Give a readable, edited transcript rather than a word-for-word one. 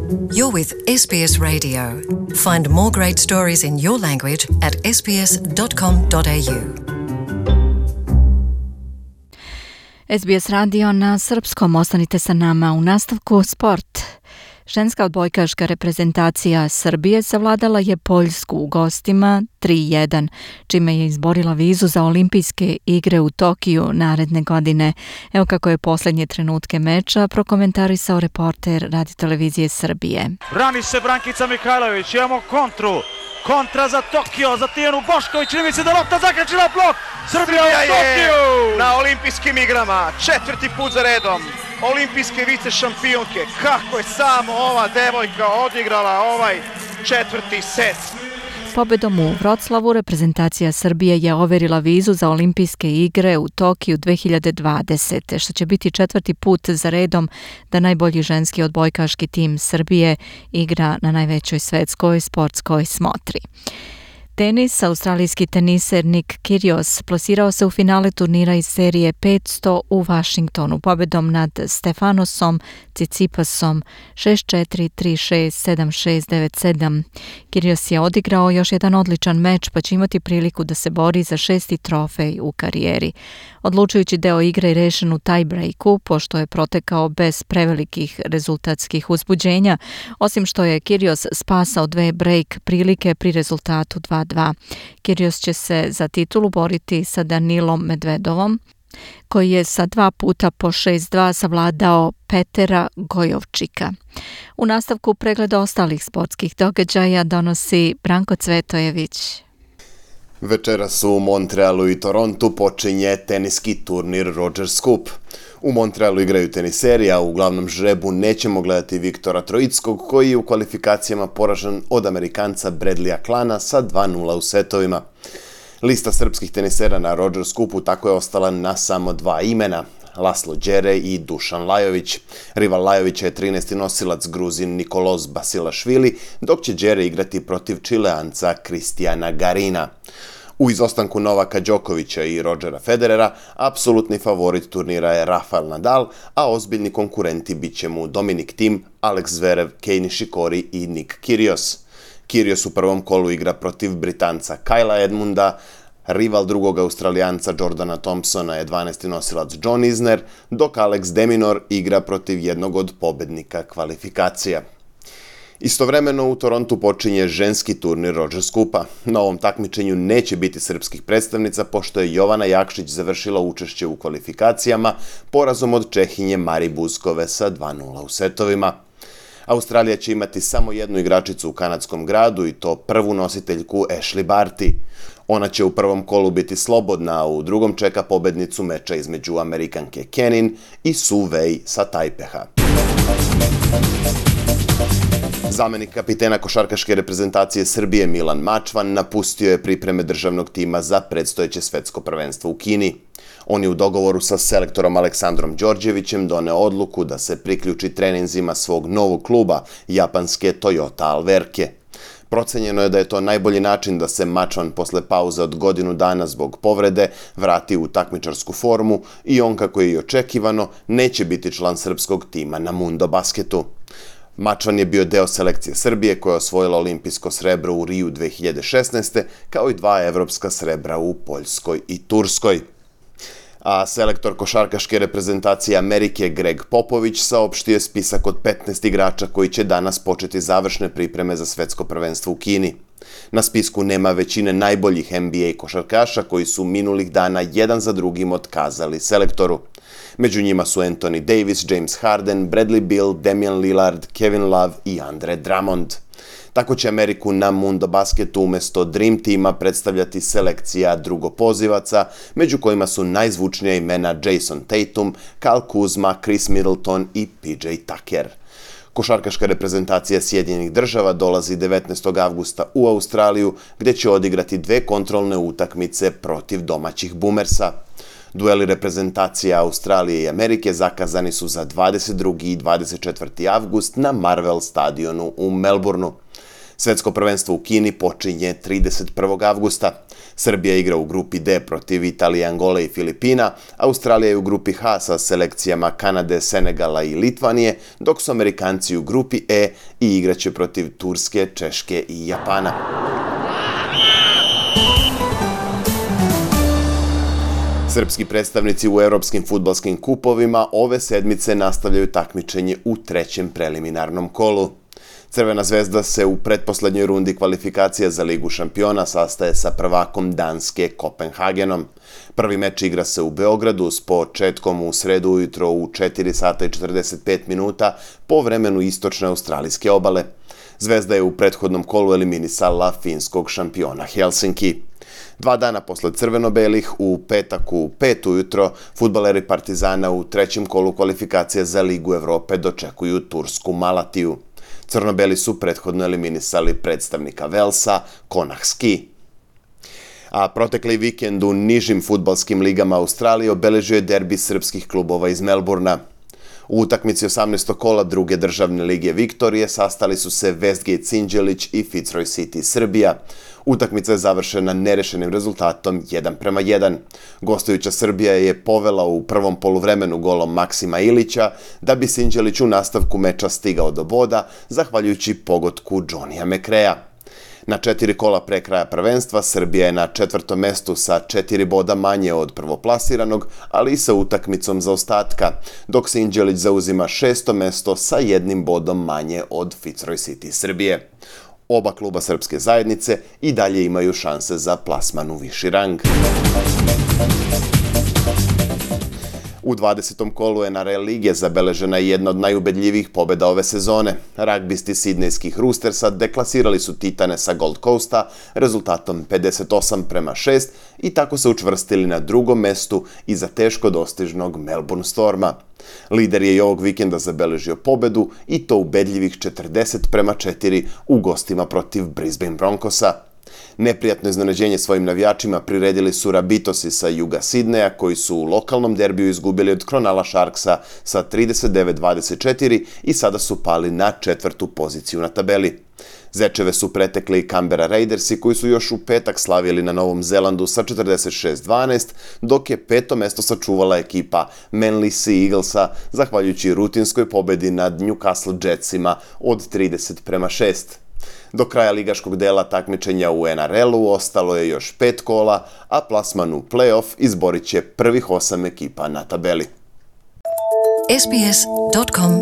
You're with SBS Radio. Find more great stories in your language at sbs.com.au. SBS radio na srpskom, ostanite sa nama. U nastavku sport. Ženska odbojkaška reprezentacija Srbije savladala je Poljsku u gostima 3-1, čime je izborila vizu za olimpijske igre u Tokiju naredne godine. Evo kako je posljednje trenutke meča prokomentarisao reporter Radio-televizije Srbije. Brani se Brankica Mihajlović, imamo kontru. Kontra za Tokio, za Tijanu Bošković, čini mi se da lopta zakačila blok. Srbija u Tokiju! Na olimpijskim igrama, 4. put za redom. Olimpijske vice šampionke. Kako je samo ova devojka odigrala ovaj 4. set. Pobedom u Vroclavu reprezentacija Srbije je overila vizu za olimpijske igre u Tokiju 2020. što će biti 4. put za redom da najbolji ženski odbojkaški tim Srbije igra na najvećoj svetskoj sportskoj smotri. Tenis, australijski teniser Nick Kyrgios plasirao se u finale turnira iz serije 500 u Washingtonu pobedom nad Stefanosom Tsitsipasom 6-4, 3-6, 7-6, 9-7. Kyrgios je odigrao još jedan odličan meč pa će imati priliku da se bori za 6. trofej u karijeri. Odlučujući deo igre je rešen u tie-breaku, pošto je protekao bez prevelikih rezultatskih uzbuđenja, osim što je Kyrgios spasao 2 break prilike pri rezultatu 2-2. Kyrgios će se za titulu boriti sa Danilom Medvedovom, koji je sa 2 puta po 6-2 savladao Petera Gojovčika. U nastavku pregleda ostalih sportskih događaja donosi Branko Cvetojević. Večeras u Montrealu i Torontu počinje teniski turnir Rogers Cup. U Montrealu igraju teniseri, a u glavnom žrebu nećemo gledati Viktora Troickog, koji je u kvalifikacijama poražen od Amerikanca Bradleya Klana sa 2-0 u setovima. Lista srpskih tenisera na Rogers Cupu tako je ostala na samo 2 imena, Laslo Đere i Dušan Lajović. Rival Lajovića je 13. nosilac Gruzin Nikolos Basilašvili, dok će Đere igrati protiv Čileanca Kristijana Garina. U izostanku Novaka Đokovića i Rodgera Federera, apsolutni favorit turnira je Rafael Nadal, a ozbiljni konkurenti bit će mu Dominic Thiem, Alex Zverev, Kei Nishikori i Nick Kyrgios. Kyrgios u prvom kolu igra protiv Britanca Kyla Edmunda, rival drugog Australijanca Jordana Thompsona je 12. nosilac John Isner, dok Alex de Minaur igra protiv jednog od pobednika kvalifikacija. Istovremeno u Torontu počinje ženski turnir Rogers Cupa. Na ovom takmičenju neće biti srpskih predstavnica, pošto je Jovana Jakšić završila učešće u kvalifikacijama porazom od Čehinje Mari Buskove sa 2-0 u setovima. Australija će imati samo jednu igračicu u kanadskom gradu i to prvu nositeljku Ashley Barty. Ona će u prvom kolu biti slobodna, a u drugom čeka pobednicu meča između Amerikanke Kenin i Su Wei sa Tajpeha. Zamenik kapitena košarkaške reprezentacije Srbije Milan Mačvan napustio je pripreme državnog tima za predstojeće svetsko prvenstvo u Kini. On je u dogovoru sa selektorom Aleksandrom Đorđevićem doneo odluku da se priključi treninzima svog novog kluba, japanske Toyota Alverke. Procenjeno je da je to najbolji način da se Mačvan posle pauze od godinu dana zbog povrede vrati u takmičarsku formu i on, kako je i očekivano, neće biti član srpskog tima na Mundo basketu. Mačvan je bio deo selekcije Srbije koja je osvojila olimpijsko srebro u Riju 2016. kao i 2 evropska srebra u Poljskoj i Turskoj. A selektor košarkaške reprezentacije Amerike Greg Popović saopštio je spisak od 15 igrača koji će danas početi završne pripreme za svetsko prvenstvo u Kini. Na spisku nema većine najboljih NBA košarkaša koji su minulih dana jedan za drugim otkazali selektoru. Među njima su Anthony Davis, James Harden, Bradley Beal, Damian Lillard, Kevin Love i Andre Drummond. Tako će Ameriku na Mundo basketu umjesto Dream tima predstavljati selekcija drugopozivaca, među kojima su najzvučnija imena Jason Tatum, Kyle Kuzma, Chris Middleton i PJ Tucker. Košarkaška reprezentacija Sjedinjenih Država dolazi 19. avgusta u Australiju, gdje će odigrati 2 kontrolne utakmice protiv domaćih Boomersa. Dueli reprezentacija Australije i Amerike zakazani su za 22. i 24. avgust na Marvel stadionu u Melbourneu. Svetsko prvenstvo u Kini počinje 31. avgusta. Srbija igra u grupi D protiv Italije, Angole i Filipina, Australija je u grupi H sa selekcijama Kanade, Senegala i Litvanije, dok su Amerikanci u grupi E i igraće protiv Turske, Češke i Japana. Srpski predstavnici u evropskim fudbalskim kupovima ove sedmice nastavljaju takmičenje u trećem preliminarnom kolu. Crvena zvezda se u pretposlednjoj rundi kvalifikacija za Ligu šampiona sastaje sa prvakom Danske Kopenhagenom. Prvi meč igra se u Beogradu s početkom u sredu ujutro u 4 sata i 45 minuta po vremenu istočne australijske obale. Zvezda je u prethodnom kolu eliminisala finskog šampiona Helsinki. 2 dana posle crveno-belih, u petak u 5 ujutro, fudbaleri Partizana u trećem kolu kvalifikacija za Ligu Evrope dočekuju tursku Malatiju. Crno-beli su prethodno eliminisali predstavnika Velsa, Konahski. A protekli vikend u nižim fudbalskim ligama Australije obeležio je derbi srpskih klubova iz Melburna. U utakmici 18. kola druge državne lige Viktorije sastali su se Westgate Sinđelić i Fitzroy City Srbija. Utakmica je završena nerešenim rezultatom 1:1. Gostujuća Srbija je povela u prvom poluvremenu golom Maksima Ilića, da bi Sinđelić u nastavku meča stigao do boda, zahvaljujući pogotku Johnnyja McRaeja. Na 4 kola pre kraja prvenstva Srbija je na 4. mestu sa 4 boda manje od prvoplasiranog, ali i sa utakmicom zaostatka, dok Sinđelić zauzima 6. mesto sa 1 bodom manje od Fitzroy City Srbije. Oba kluba srpske zajednice i dalje imaju šanse za plasman u viši rang. U 20. kolu NRL lige zabeležena je jedna od najubedljivijih pobjeda ove sezone. Ragbisti sidnejskih Roostersa deklasirali su Titane sa Gold Coasta rezultatom 58:6 i tako se učvrstili na drugom mestu iza teško dostižnog Melbourne Storma. Lider je i ovog vikenda zabeležio pobedu i to ubedljivih 40:4 u gostima protiv Brisbane Broncosa. Neprijatno iznenađenje svojim navijačima priredili su Rabitosi sa juga Sidneja, koji su u lokalnom derbiju izgubili od Cronulla Sharksa sa 39:24 i sada su pali na 4. poziciju na tabeli. Zečeve su pretekli Canberra Raidersi, koji su još u petak slavili na Novom Zelandu sa 46:12, dok je 5. mesto sačuvala ekipa Manly Sea Eaglesa, zahvaljujući rutinskoj pobedi nad Newcastle Jetsima od 30:6. Do kraja ligaškog dela takmičenja u NRL-u ostalo je još 5 kola, a plasman u play-off izborit će prvih 8 ekipa na tabeli. sbs.com.au